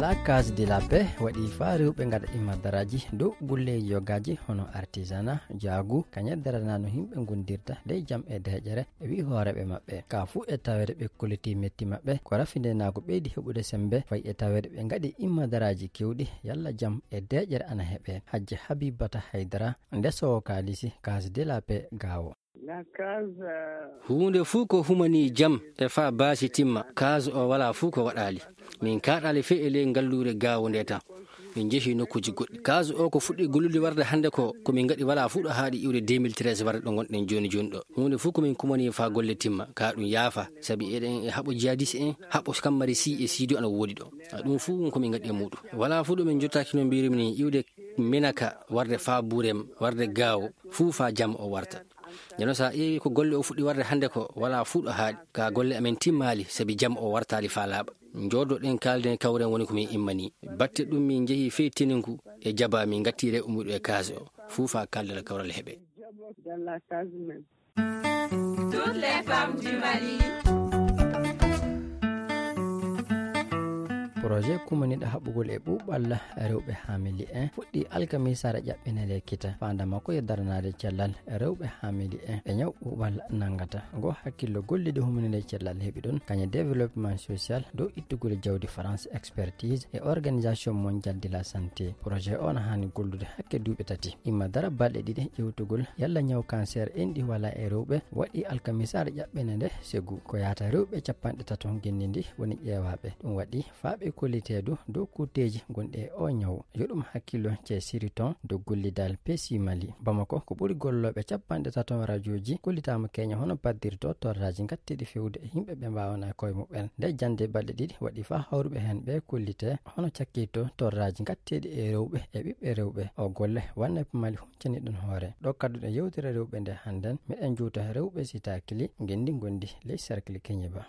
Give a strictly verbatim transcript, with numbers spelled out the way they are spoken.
La Case de la Paix waɗi faa rewɓe ngaɗa immadaraaji dow gulleeji yogaaji hono artisanat, jaagu, kañe darana no yimɓe ngondirta ley jam e deeƴere, e wi hooreeɓe maɓɓe. Ka fuu e taweede ɓe kolliti metti maɓɓe, ko rafindenaagu ɓeydi heɓude semmbe, fay e taweede ɓe ngaɗi immadaraaji keewɗi, yalla jam e deeƴere ana heɓe. Hajji Habibata Haydara, ndesowo kaalisi, Case de la Paix Gaawo. Huunde fuu ko humanii jam e faa baasi timma, Case o walaa fuu ko waɗaali. Min kaaɗaali fey e ley ngalluure Gaawo nde tan. Min njehi nokkuuji goɗɗi. Case o ko fuɗɗi gollude warde hannde ko, ko min ngaɗi walaa fuu ɗo haaɗi iwde deux mille treize warde ɗo ngonɗen jooni jooni ɗo. Huunde fuu ko min kumanii faa golle timma, ka ɗum yaafa, sabi eɗen e haɓo jihadis en, haɓo kammari si e siido ana woodi ɗo. A ɗum fuu ko min ngaɗi e muuɗum. Walaa fuu ɗo min jottaaki no mbiirumi ni, iwde Menaka warde faa Burem, warde Gaawo, fuu faa jam o warta. Ndeno so a ƴeewi ko golle o fuɗɗi warde hannde ko, walaa fuu ɗo haaɗi. Ka golle amen timmaali, sabi jam o wartaali faa laaɓa. Njooɗoɗen kaalden kawren woni ko min immanii. Batte ɗum min njehi fey Teninku e Jaba min ngatti rewɓe muuɗum e Case o. Fuu faa kaaldal kawral heɓe. Toutes les femmes du Mali. Projet kumaniiɗo haɓugol e ɓuuɓal rewɓe haamili en fuɗɗi alkamisaare ƴaɓɓinere kita. Faanda makko yo daranaade cellal rewɓe haamili en e ñaw ɓuuɓal nanngata. Ngo hakkillo golliiɗo humaninde cellal heɓi ɗon, kañe développement social dow ittugol jawdi France Expertise e Organisation Mondiale de la Santé. Projet o na haani gollude hakke duuɓi tati. Imma dara balɗe ɗiɗi ƴewtugol yalla ñaw cancer enɗi wala e rewɓe, waɗi alkamisaare ƴaɓɓene nde segu. Ko yaata rewɓe capanɗe tato ngenndi ndi woni ƴeewaaɓe. Ɗum waɗi faaɓe kolliteedu dow kutteeji gonɗi e o ñaw. Yo ɗum hakkillo ce siriton dow gollidal P C Mali. Bamako ko ɓuri gollooɓe capanɗe tato rajooji kollitaama keña hono paddirto torraaji ngatteeɗi fewde e yimɓe ɓe mbaawana e koye muɓɓen. Nde jannde balɗe ɗiɗi waɗi faa hawruɓe heen ɓe kollite hono cakkitto torraaji ngatteeɗi e rewɓe e ɓiɓɓe rewɓe. O golle wanne Mali huncani ɗon hoore. Ɗo kadduɗen yewtere rewɓe nde hannden, miɗen juuta rewɓe Sitakili, ngenndi ngondi ley cercle Keñiba.